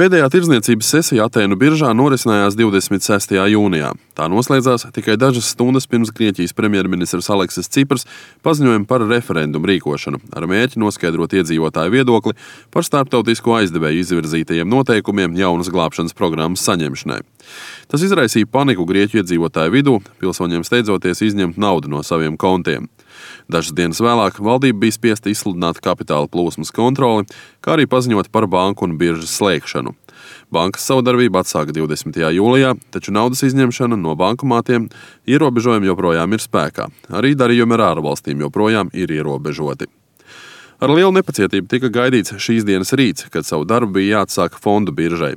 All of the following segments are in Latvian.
Pēdējā tirdzniecības sesija Atēnu biržā norisinājās 26. jūnijā. Tā noslēdzās tikai dažas stundas pirms Grieķijas premjerministrs Aleksis Cipras paziņoja par referendumu rīkošanu, ar mērķi noskaidrot iedzīvotāju viedokli par starptautisko aizdevēju izvirzītajiem noteikumiem jaunas glābšanas programmas saņemšanai. Tas izraisīja paniku Grieķu iedzīvotāju vidū, pilsoņiem steidzoties izņemt naudu no saviem kontiem. Dažas dienas vēlāk valdība bija spiesta izsludināt kapitāla plūsmas kontroli, kā arī paziņot par banku un biržas slēgšanu. Bankas savu darbību atsāka 20. jūlijā, taču naudas izņemšana no bankomātiem ierobežojumi joprojām ir spēkā. Arī darījumi ar ārvalstīm joprojām ir ierobežoti. Ar lielu nepacietību tika gaidīts šīs dienas rīts, kad savu darbu bija jāatsāk fondu biržai.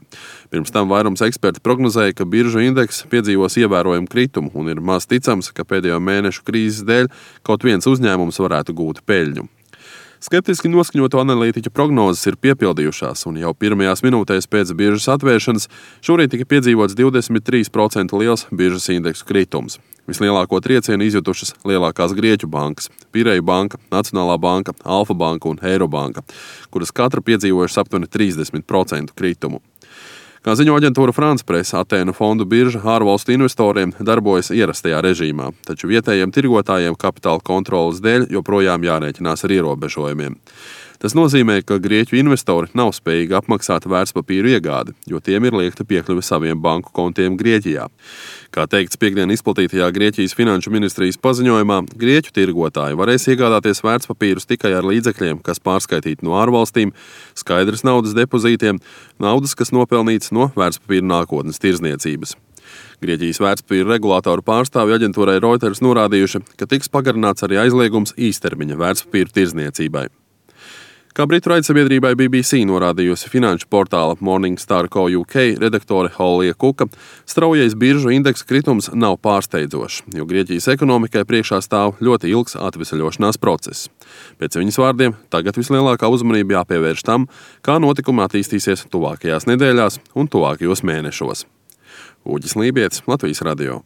Pirms tam vairums eksperti prognozēja, ka biržu indeks piedzīvos ievērojumu kritumu un ir maz ticams, ka pēdējo mēnešu krīzes dēļ kaut viens uzņēmums varētu gūt peļņu. Skeptiski noskaņoto analītiķu prognozes ir piepildījušās, un jau pirmajās minūtēs pēc biržas atvēršanas šorīt tika piedzīvots 23% liels biržas indeksu kritums. Vislielāko triecienu izjutušas lielākās Grieķu bankas – Pireju banka, Nacionālā banka, Alfa banka un Eirobanka, kuras katra piedzīvojušas aptuveni 30% kritumu. Kā ziņo aģentūra France Press, Atēnu fondu birža ārvalstu investoriem darbojas ierastajā režīmā, taču vietējiem tirgotājiem kapitāla kontroles dēļ joprojām jārēķinās ar ierobežojumiem. Tas nozīmē, ka Grieķu investori nav spējīgi apmaksāt vērtspapīru iegādi, jo tiem ir liekta piekļuve saviem banku kontiem Grieķijā. Kā teikts piekdien izplatītajā Grieķijas finanšu ministrijas paziņojumā, Grieķu tirgotāji varēs iegādāties vērtspapīrus tikai ar līdzekļiem, kas pārskaitīti no ārvalstīm, skaidrs naudas depozītiem, naudas, kas nopelnīts no vērtspapīru nākotnes tirdzniecības. Grieķijas vērtspapīru regulātoru pārstāvju aģentūrai Reuters norādījuši, ka tiks pagarināts arī aizliegums īstermiņa vērtspapīru tirdzniecībai. Kā britu raidsabiedrībai BBC norādījusi finanšu portāla Morningstar Co. UK redaktore Hollija Kuka, straujais biržu indeksa kritums nav pārsteidzošs, jo Grieķijas ekonomikai priekšā stāv ļoti ilgs atvesaļošanās process. Pēc viņas vārdiem, tagad vislielākā uzmanība jāpievērš tam, kā notikumi attīstīsies tuvākajās nedēļās un tuvākajos mēnešos. Uģis Lībietis, Latvijas radio.